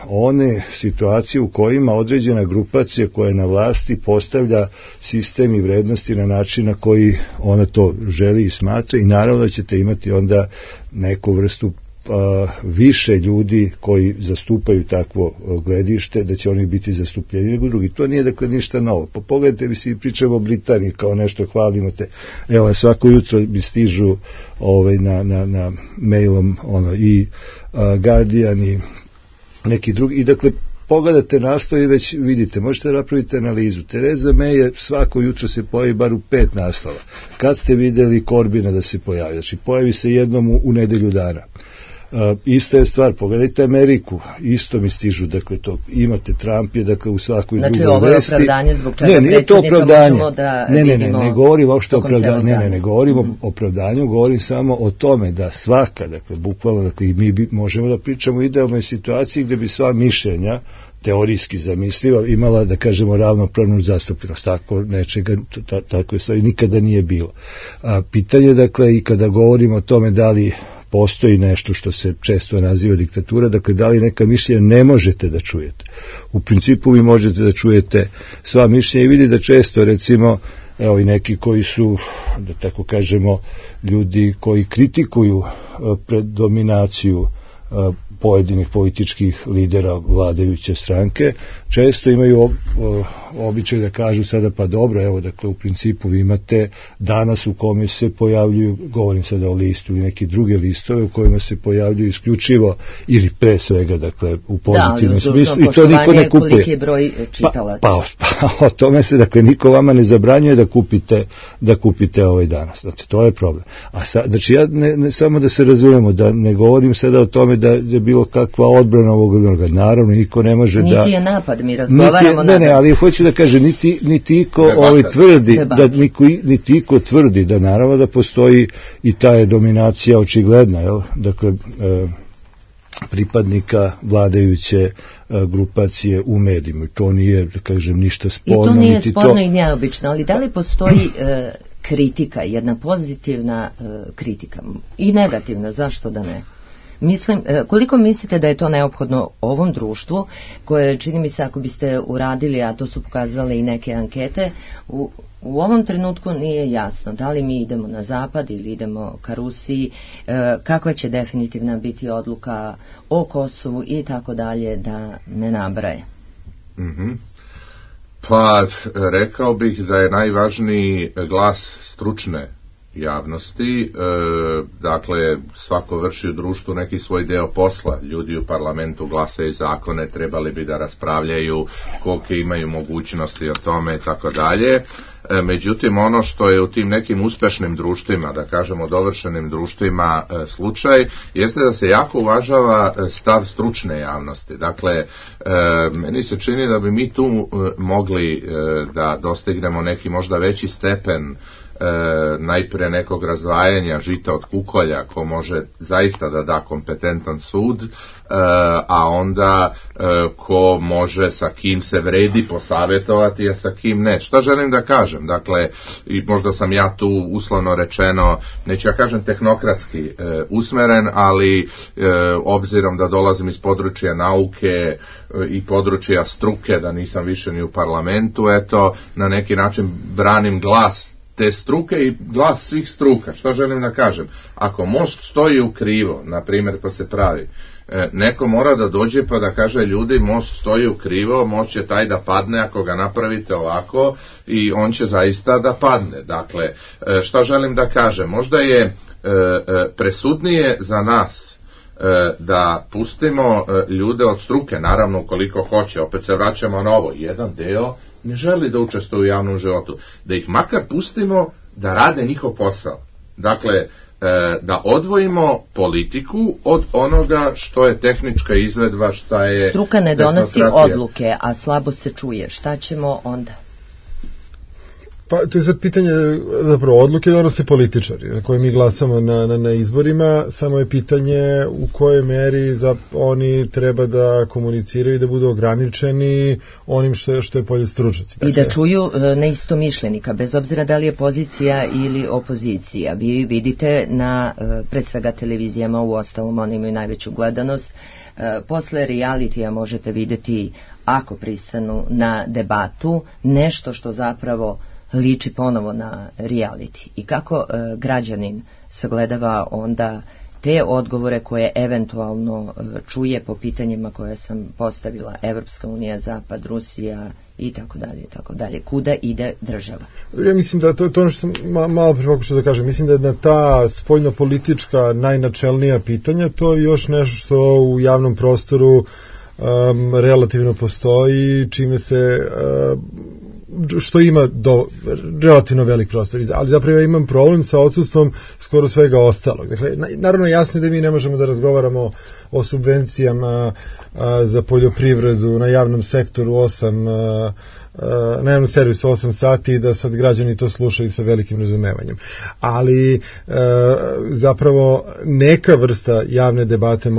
one situacije u kojima određena grupacija koja je na vlasti postavlja sistem i vrednosti na način na koji ona to želi i smatra, i naravno ćete imati onda neku vrstu više ljudi koji zastupaju takvo gledište, da će oni biti zastupljeni nego drugi. To nije, dakle, ništa novo. Pa pogledajte, mi si pričamo o Britaniji, kao nešto hvalimo te. Evo, svako jutro mi stižu na mailom i Guardian i neki drugi, i dakle pogledate naslov i već vidite, možete napraviti analizu. Tereza May je svako jutro se pojavi bar u 5 naslova. Kad ste videli Corbina da se pojavi? Znači, pojavi se jednom u nedelju dana. Ista je stvar, pogledajte Ameriku, isto mi stižu, dakle to imate Trump je, dakle u svakoj drugoj vesti. Znači ovo je opravdanje zbog čega predsjednika možemo da vidimo. Ne govorim uopšte opravdanje, ne govorim o opravdanju, govorim samo o tome da svaka, dakle bukvalno, dakle i mi možemo da pričamo o idealnoj situaciji gde bi sva mišljenja teorijski zamisliva imala, da kažemo, ravnopravnu zastupljenost. Tako nečega, tako je stvari nikada nije bilo. Pitanje, dakle, i kada govorimo o tome da li postoji nešto što se često naziva diktatura, dakle, da li neka mišljenja ne možete da čujete. U principu vi možete da čujete sva mišljenja i vidi da često, recimo, evo i neki koji su, da tako kažemo, ljudi koji kritikuju predominaciju pojedinih političkih lidera vladajuće stranke, često imaju običaj da kažu sada pa dobro, evo dakle u principu vi imate danas u kome se pojavljuju, govorim sada o listu ili neki druge listove u kojima se pojavljuju isključivo ili pre svega dakle u pozitivnom smislu i to niko ne kupuje. Koliki je broj čitalaca? Pa o tome se dakle niko vama ne zabranjuje da kupite ovaj danas. Znači to je problem. Znači ja ne samo da se razumemo, da ne govorim sada o tome da je bilo kakva odbrana ovog onoga. Naravno, niko ne može niti je napad, mi razgovaramo. Ne, ali hoću da kažem, niti iko tvrdi, niti iko tvrdi da naravno da postoji i ta je dominacija očigledna, jel? Dakle, pripadnika vladajuće grupacije u medijima. To nije, da kažem, ništa sporno. I to nije sporno i neobično, ali da li postoji kritika, jedna pozitivna kritika i negativna, zašto da ne? Koliko mislite da je to neophodno ovom društvu koje, čini mi se, ako biste uradili, a to su pokazale i neke ankete, u ovom trenutku nije jasno da li mi idemo na zapad ili idemo ka Rusiji, kakva će definitivna biti odluka o Kosovu i tako dalje, da ne nabraje. Pa rekao bih da je najvažniji glas stručne javnosti, dakle svako vrši u društvu neki svoj deo posla, ljudi u parlamentu glasaju zakone, trebali bi da raspravljaju kolike imaju mogućnosti o tome i tako dalje. Međutim, ono što je u tim nekim uspešnim društvima, da kažemo dovršenim društvima slučaj, jeste da se jako uvažava stav stručne javnosti. Dakle, meni se čini da bi mi tu mogli da dostignemo neki možda veći stepen najprije nekog razdvajanja žita od kukolja ko može zaista da da kompetentan sud, a onda ko može sa kim se vredi posavjetovati, a sa kim ne. Šta želim da kažem? Dakle, i možda sam ja tu uslovno rečeno, neću ja kažem tehnokratski usmeren, ali obzirom da dolazim iz područja nauke i područja struke, da nisam više ni u parlamentu, eto, na neki način branim glas te struke i glas svih struka. Što želim da kažem? Ako most stoji u krivo, na primjer, pa se pravi, neko mora da dođe pa da kaže ljudi, most stoji u krivo, most će taj da padne ako ga napravite ovako i on će zaista da padne. Dakle, što želim da kažem? Možda je presudnije za nas da pustimo ljude od struke, naravno ukoliko hoće, opet se vraćamo na ovo, jedan deo ne želi da učestvuje u javnom životu, da ih makar pustimo da rade njihov posao. Dakle, da odvojimo politiku od onoga što je tehnička izvedba, šta je... Struka ne donosi odluke, a slabo se čuje. Šta ćemo onda? Pa to je sad pitanje, zapravo odluke donose političari na koje mi glasamo na izborima, samo je pitanje u kojoj meri oni treba da komuniciraju i da budu ograničeni onim što je polje stručnjaci. I da čuju neistomišljenika, bez obzira da li je pozicija ili opozicija. Vi vidite na pre svega televizijama, u ostalom oni imaju najveću gledanost, posle realitija možete vidjeti, ako pristanu na debatu, nešto što zapravo liči ponovo na reality. I kako građanin sagledava onda te odgovore koje eventualno čuje po pitanjima koje sam postavila, Evropska unija, Zapad, Rusija i tako dalje, i tako dalje. Kuda ide država? Ja mislim da to ono što sam malo pre pokušao da kažem, mislim da je na ta spoljno-politička najnačelnija pitanja to je još nešto što u javnom prostoru relativno postoji, čime se što ima relativno velik prostor, ali zapravo ja imam problem sa odsustvom skoro svega ostalog. Dakle, naravno jasno je da mi ne možemo da razgovaramo o subvencijama za poljoprivredu na javnom sektoru na javnom servisu 8 sati i da sad građani to slušaju sa velikim razumevanjem. Ali zapravo neka vrsta javne debate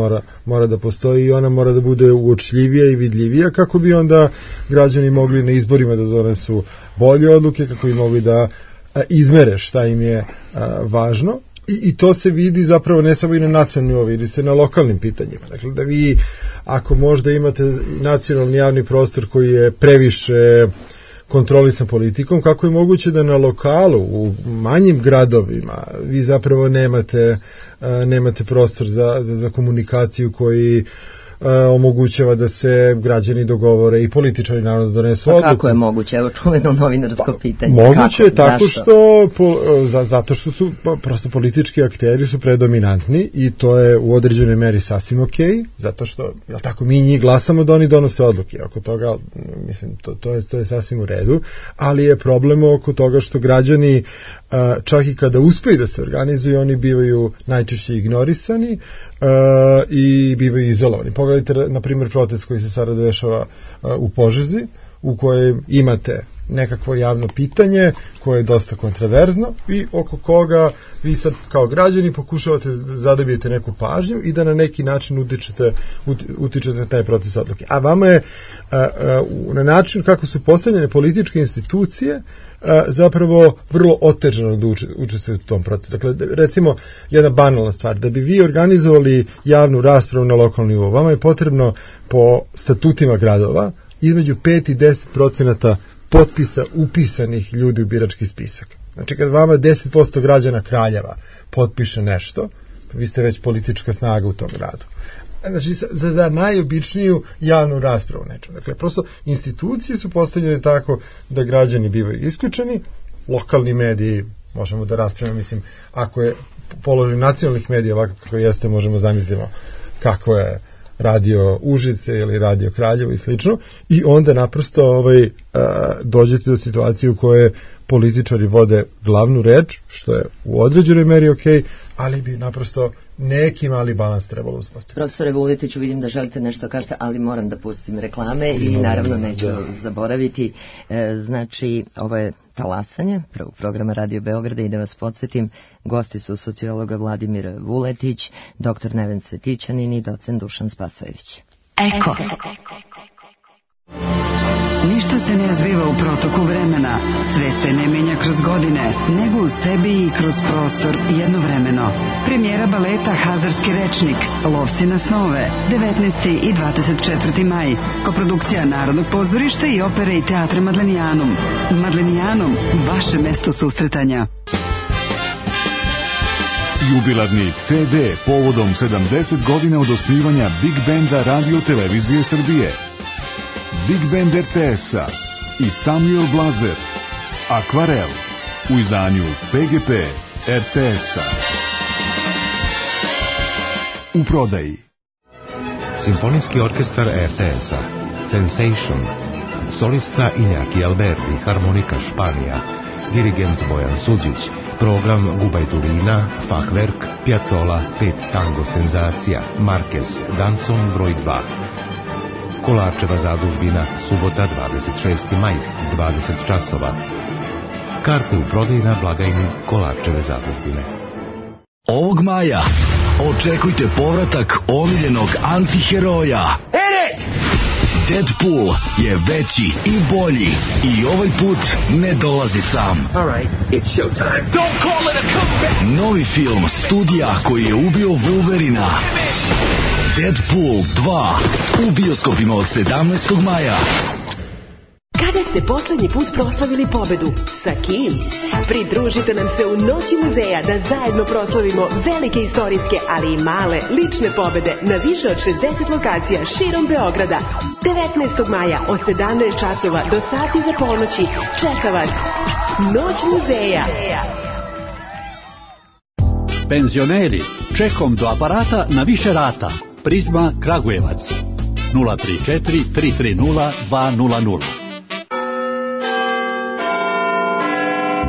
mora da postoji i ona mora da bude uočljivija i vidljivija kako bi onda građani mogli na izborima da donesu bolje odluke, kako bi mogli da izmere šta im je važno. I to se vidi zapravo ne samo i na nacionalnom nivou, vidi se na lokalnim pitanjima. Dakle, da vi, ako možda imate nacionalni javni prostor koji je previše kontrolisan politikom, kako je moguće da na lokalu, u manjim gradovima, vi zapravo nemate prostor za komunikaciju koji omogućava da se građani dogovore i političari naravno da donesu odluku. Kako je moguće? Evo čuveno novinarsko pitanje. Moguće je tako što zato što su prosto politički akteri su predominantni i to je u određenoj meri sasvim okej, zato što tako mi njih glasamo da oni donose odluke. Oko toga mislim to je sasvim u redu, ali je problem oko toga što građani čak i kada uspeju da se organizuju, oni bivaju najčešće ignorisani i bivaju izolovani. Pogledajte, na primjer, protest koji se sada dešava u Požegi, u kojem imate nekakvo javno pitanje koje je dosta kontroverzno i oko koga vi sad kao građani pokušavate zadobijete neku pažnju i da na neki način utičete na taj proces odluke. A vama je na način kako su postavljene političke institucije zapravo vrlo otežano da učestvujete u tom procesu. Dakle, recimo, jedna banalna stvar, da bi vi organizovali javnu raspravu na lokalnom nivou, vama je potrebno po statutima gradova između 5 i 10% potpisa upisanih ljudi u birački spisak. Znači, kad vama 10% građana Kraljeva potpiše nešto, vi ste već politička snaga u tom gradu. Znači, za najobičniju javnu raspravu nečemu. Dakle, prosto institucije su postavljene tako da građani bivaju isključeni, lokalni mediji, možemo da raspravimo, mislim, ako je položaj nacionalnih medija ovako kako jeste, možemo zamislimo kako je radio Užice ili radio Kraljevo i slično, i onda naprosto dođete do situacije u kojoj političari vode glavnu reč, što je u određenoj meri okej, ali bi naprosto neki mali balans trebalo uspostaviti. Profesore Vuletiću, vidim da želite nešto kažete, ali moram da pustim reklame i naravno neću zaboraviti. Znači, ovo je Talasanje, prvog programa Radio Beograda, i da vas podsjetim, gosti su sociologa Vladimir Vuletić, dr. Neven Cvetićanin i docent Dušan Spasojević. Eko. Ništa se ne zbiva u protoku vremena, svet se ne menja kroz godine, nego u sebi i kroz prostor jednovremeno. Premijera baleta Hazarski rečnik, Lovci na snove, 19. i 24. maj, koprodukcija Narodnog pozorišta i opere i teatra Madlenijanum. Madlenijanum, vaše mesto susretanja. Jubilarni CD povodom 70 godina od osnivanja Big Benda Radio Televizije Srbije. Big Band RTS-a i Samuel Blazer, Akvarel, u izdanju PGP RTS-a. U prodaji. Simfonijski orkestar RTS-a, Sensation, solista Iñaki Alberti, harmonika Španija, dirigent Bojan Suđić, program Gubajdurina, Fachwerk, Piazzolla, 5 tango senzacija, Marquez, Danson broj 2. Kolarčeva zadužbina, subota 26. maj, 20 časova. Karte u prodaji na blagajni Kolarčeve zadužbine. Ovog maja očekujte povratak omiljenog antiheroja. Deadpool je veći i bolji i ovaj put ne dolazi sam. It's showtime. Don't call it a comeback. Novi film studija koji je ubio Wolverina. Deadpool 2 u bioskopima od 17. maja. Kada ste poslednji put proslavili pobedu? Sa kim? Pridružite nam se u Noći muzeja da zajedno proslavimo velike istorijske, ali i male lične pobede na više od 60 lokacija širom Beograda. 19. maja od 17 časova do sati za ponoći čeka vas Noć muzeja. Penzioneri, čekom do aparata na više rata. Prizma Kragujevac 034 330 200.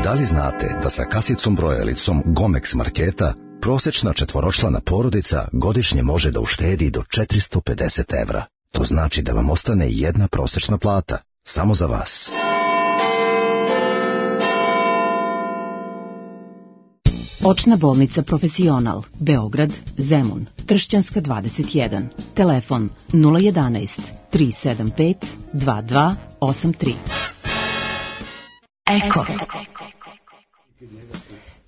Da li znate da sa kasicom brojalicom Gomex marketa prosječna četvoročlana porodica godišnje može da uštedi do 450 evra? To znači da vam ostane jedna prosječna plata, samo za vas. Očna bolnica Profesional, Beograd, Zemun, Tršćanska 21, telefon 011 375 2283. Eko.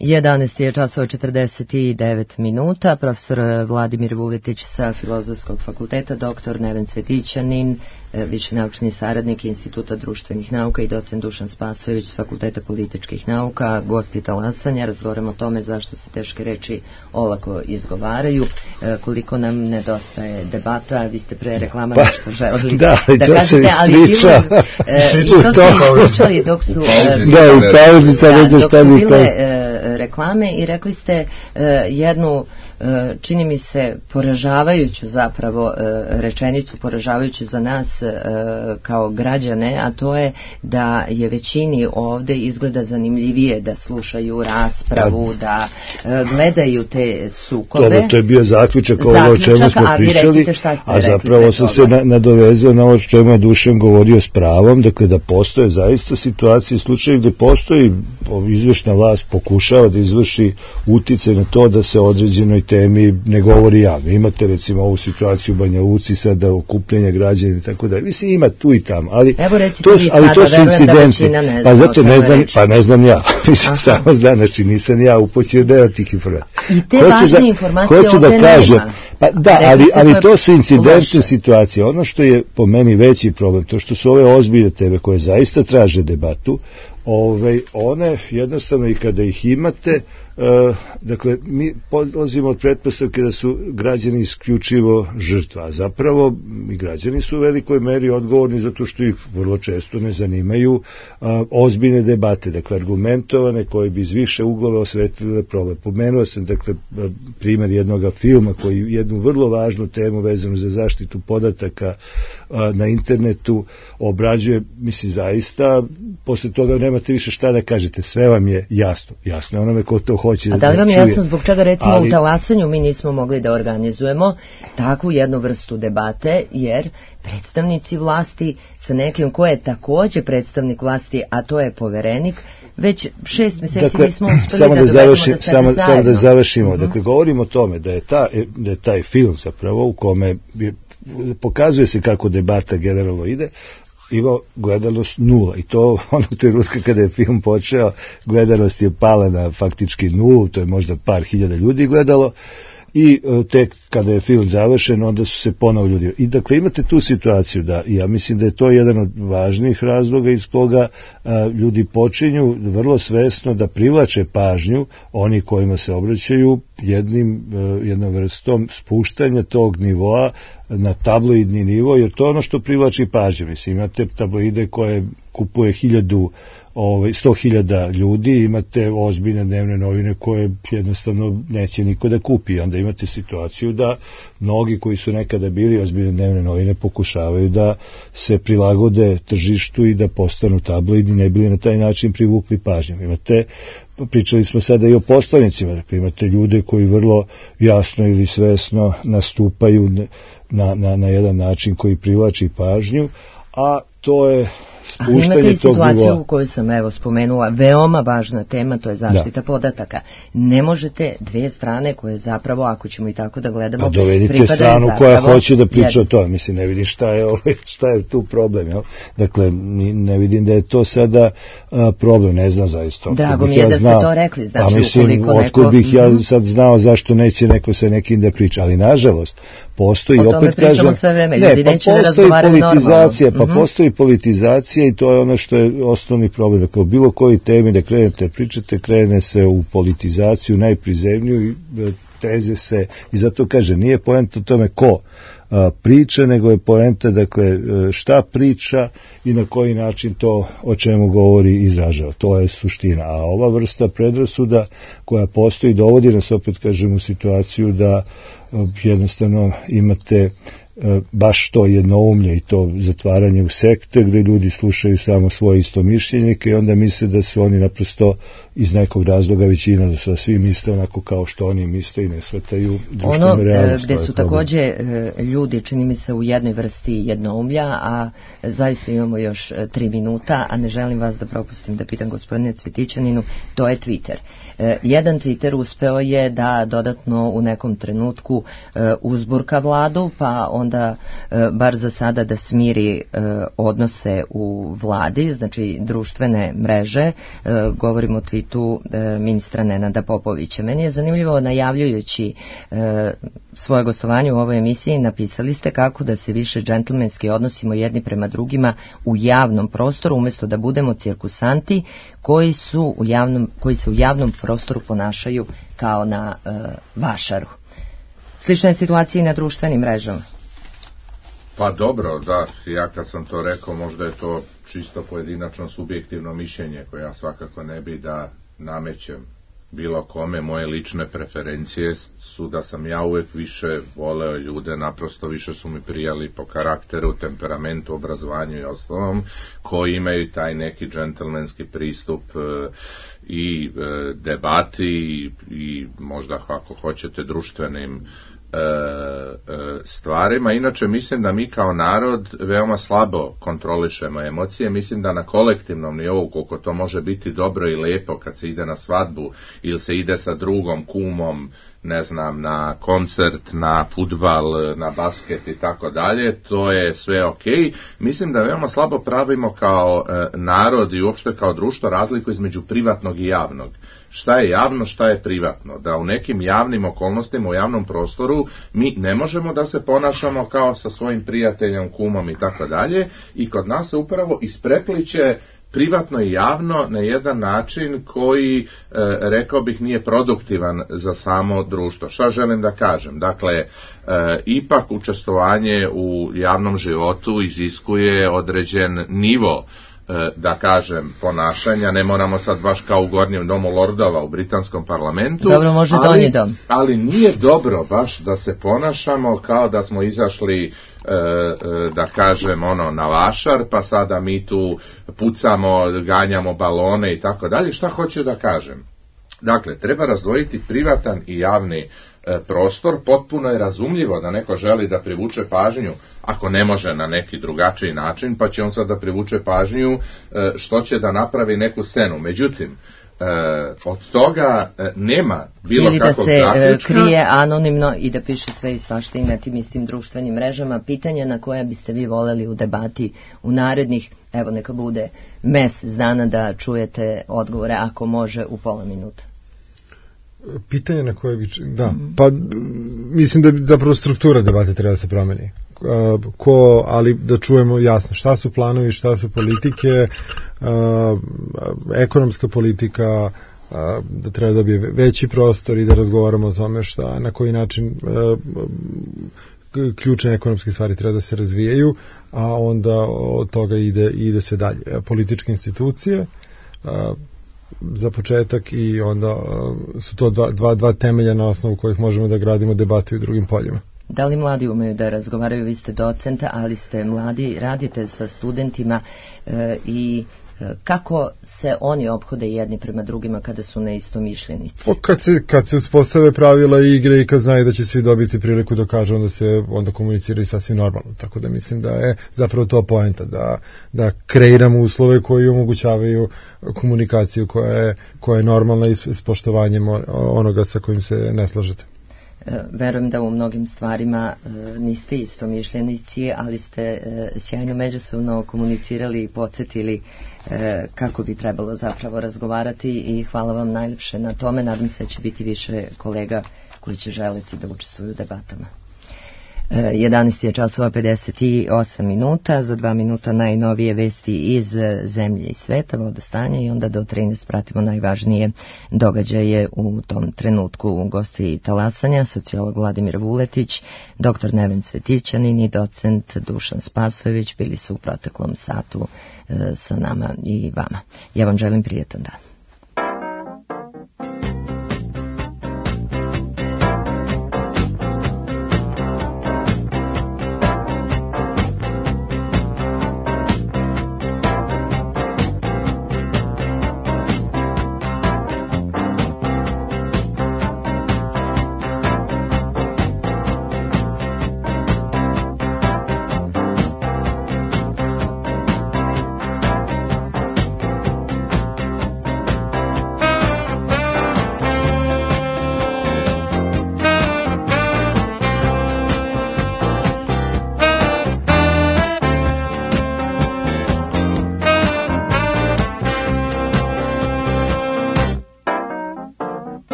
11 je časova 49 minuta. Profesor Vladimir Vuletić sa Filozofskog fakulteta, doktor Neven Cvetićanin, viši naučni saradnik Instituta društvenih nauka i docent Dušan Spasojević s Fakulteta političkih nauka, gosti talasanja. Razgovaramo o tome zašto se teške reči olako izgovaraju, koliko nam nedostaje debata. Vi ste pre reklama nešto želeli da kažete, ali to ste ispričali dok su bile reklame i rekli ste jednu, čini mi se, poražavajuću zapravo rečenicu, poražavajuću za nas kao građane, a to je da je većini ovde izgleda zanimljivije da slušaju raspravu, da gledaju te sukobe. Dobro, to je bio zaključak ovoga o čemu smo pričali, a zapravo sam se nadovezao na ovo što je Dušan govorio s pravom, dakle da postoje zaista situacije i slučaje gde postoji izvršna vlast pokušava da izvrši uticaj na to da se određenoj temi ne govori javno. Imate recimo ovu situaciju u Banja Luci sada, okupljenja građana i tako dalje. Mislim, ima tu i tamo, ali to su incidenti. Pa zato ne znam ja. Mislim, samo znam, znači nisam ja upoćen da tih informacija. I te važne informacije ovde nema. Pa da, ali to su incidentne situacije. Ono što je po meni veći problem, to što su ove ozbiljne teme koje zaista traže debatu, one jednostavno i kada ih imate, dakle mi polazimo od pretpostavke da su građani isključivo žrtva, a zapravo i građani su u velikoj meri odgovorni zato što ih vrlo često ne zanimaju ozbiljne debate, dakle argumentovane koje bi iz više uglova osvetlile problem. Pomenuo sam dakle primjer jednog filma koji jednu vrlo važnu temu vezanu za zaštitu podataka na internetu obrađuje, mislim zaista posle toga nemate više šta da kažete, sve vam je jasno je onome ko to hoće da čuje. A da li vam je jasno zbog čega recimo u Talasanju mi nismo mogli da organizujemo takvu jednu vrstu debate, jer predstavnici vlasti sa nekim ko je takođe predstavnik vlasti, a to je poverenik, već 6 meseci nismo uspeli da dovedemo da sede zajedno. Samo da završimo, dakle govorimo o tome da je taj film zapravo u kome pokazuje se kako debata generalno ide, imao gledanost 0 i to onog trenutka kada je film počeo gledanost je pala na faktički 0, to je možda par hiljada ljudi gledalo i tek kada je film završen onda su se ponovo ljudi. I dakle imate tu situaciju da ja mislim da je to jedan od važnijih razloga iz koga ljudi počinju vrlo svesno da privlače pažnju oni kojima se obraćaju jednom vrstom spuštanja tog nivoa na tabloidni nivo, jer to je ono što privlači pažnju. Mislim, imate tabloide koje kupuje 100.000 ljudi, imate ozbiljne dnevne novine koje jednostavno neće niko da kupi. Onda imate situaciju da mnogi koji su nekada bili ozbiljne dnevne novine pokušavaju da se prilagode tržištu i da postanu tabloidni, ne bili na taj način privukli pažnju. Pričali smo sada i o poslanicima, dakle imate ljude koji vrlo jasno ili svesno nastupaju na jedan način koji privlači pažnju, a to je spuštanje tog nivoa. Imate i situaciju u kojoj sam spomenula, veoma važna tema, to je zaštita podataka. Ne možete dve strane koje zapravo, ako ćemo i tako da gledamo, dovedite stranu koja hoće da priča o tome. Mislim, ne vidim šta je tu problem. Jel? Dakle, ne vidim da je to sada problem, ne znam zaista. Drago mi je da ste to rekli. Znači, otkud bih ja sad znao zašto neće neko sa nekim da priča, ali nažalost, postoji, opet kažem, postoji politizacija i to je ono što je osnovni problem. Dakle, u bilo koji temi da krenete pričate, krene se u politizaciju najprizemniju i teze se, i zato kažem, nije poenta o tome ko priča, nego je poenta, dakle, šta priča i na koji način to o čemu govori izražava. To je suština. A ova vrsta predrasuda koja postoji dovodi nas, opet kažem, u situaciju da jednostavno imate baš to jednoumlje i to zatvaranje u sekte gde ljudi slušaju samo svoje istomišljenike i onda misle da su oni naprosto iz nekog razloga većina, da su svi misle onako kao što oni misle i ne shvataju društvenu realnost. Gde su takođe ljudi, čini mi se, u jednoj vrsti jednoumlja, a zaista imamo još 3 minuta, a ne želim vas da propustim da pitam gospodine Cvetićaninu, to je Twitter. Jedan Twitter uspeo je da dodatno u nekom trenutku uzburka vladu, pa onda bar za sada da smiri odnose u vladi, znači društvene mreže, govorimo o tweetu ministra Nenada Popovića. Meni je zanimljivo, najavljujući svoje gostovanje u ovoj emisiji, napisali ste kako da se više džentlmenski odnosimo jedni prema drugima u javnom prostoru, umjesto da budemo cirkusanti koji se u javnom prostoru ponašaju kao na vašaru. Slična je situacija i na društvenim mrežama. Pa dobro, da, ja kad sam to rekao, možda je to čisto pojedinačno subjektivno mišljenje koje ja svakako ne bi da namećem bilo kome. Moje lične preferencije su da sam ja uvek više voleo ljude, naprosto više su mi prijali po karakteru, temperamentu, obrazovanju i ostalom, koji imaju taj neki džentlmenski pristup i debati i možda, ako hoćete, društvenim stvarima. Inače, mislim da mi kao narod veoma slabo kontrolišemo emocije. Mislim da na kolektivnom nivou, koliko to može biti dobro i lepo kad se ide na svadbu ili se ide sa drugom, kumom, ne znam, na koncert, na fudbal, na basket i tako dalje, to je sve okej. Mislim da veoma slabo pravimo kao narod i uopšte kao društvo razliku između privatnog i javnog. Šta je javno, šta je privatno? Da u nekim javnim okolnostima, u javnom prostoru, mi ne možemo da se ponašamo kao sa svojim prijateljem, kumom i tako dalje, i kod nas se upravo isprepliće privatno i javno na jedan način koji, rekao bih, nije produktivan za samo društvo. Šta želim da kažem? Dakle, ipak učestvovanje u javnom životu iziskuje određen nivo, da kažem, ponašanja. Ne moramo sad baš kao u Gornjem domu lordova u britanskom parlamentu. Dobro, može donji dom. Ali nije dobro baš da se ponašamo kao da smo izašli, da kažem, na vašar, pa sada mi tu pucamo, ganjamo balone i tako dalje. Šta hoću da kažem? Dakle, treba razdvojiti privatan i javni prostor. Potpuno je razumljivo da neko želi da privuče pažnju, ako ne može na neki drugačiji način, pa će on sad da privuče pažnju što će da napravi neku scenu. Međutim, od toga nema bilo kakvog zaključka. Ili da se krije anonimno i da piše sve i svašta i na tim istim društvenim mrežama. Pitanja na koja biste vi voleli u debati u narednih, evo neka bude mesec dana, da čujete odgovore, ako može u pola minuta. Pitanje na koje bi... Da, pa mislim da zapravo struktura debate treba da se promeni. Ali da čujemo jasno šta su planovi, šta su politike, ekonomska politika, da treba da dobije veći prostor i da razgovaramo o tome šta, na koji način ključne ekonomske stvari treba da se razvijaju, a onda od toga ide se dalje. Političke institucije, za početak, i onda su to dva temelja na osnovu kojih možemo da gradimo debate u drugim poljima. Da li mladi umeju da razgovaraju? Vi ste docenta, ali ste mladi, radite sa studentima i kako se oni ophode jedni prema drugima kada su neistomišljenici? Kad se uspostave pravila igre i kad znaju da će svi dobiti priliku da kažu, onda komuniciraju sasvim normalno. Tako da mislim da je zapravo to poenta, da kreiramo uslove koji omogućavaju komunikaciju koja je normalna i s poštovanjem onoga sa kojim se ne slažete. Verujem da u mnogim stvarima niste istomišljenici, ali ste sjajno međusobno komunicirali i podsjetili kako bi trebalo zapravo razgovarati, i hvala vam najljepše na tome. Nadam se da će biti više kolega koji će želiti da učestvuju u debatama. 11 je časova 58 minuta, za 2 minuta najnovije vesti iz zemlje i sveta, vodostanja, i onda do 13 pratimo najvažnije događaje u tom trenutku. Gosti talasanja, sociolog Vladimir Vuletić, dr. Neven Cvetićanin i docent Dušan Spasojević bili su u proteklom satu sa nama i vama. Ja vam želim prijetan dan.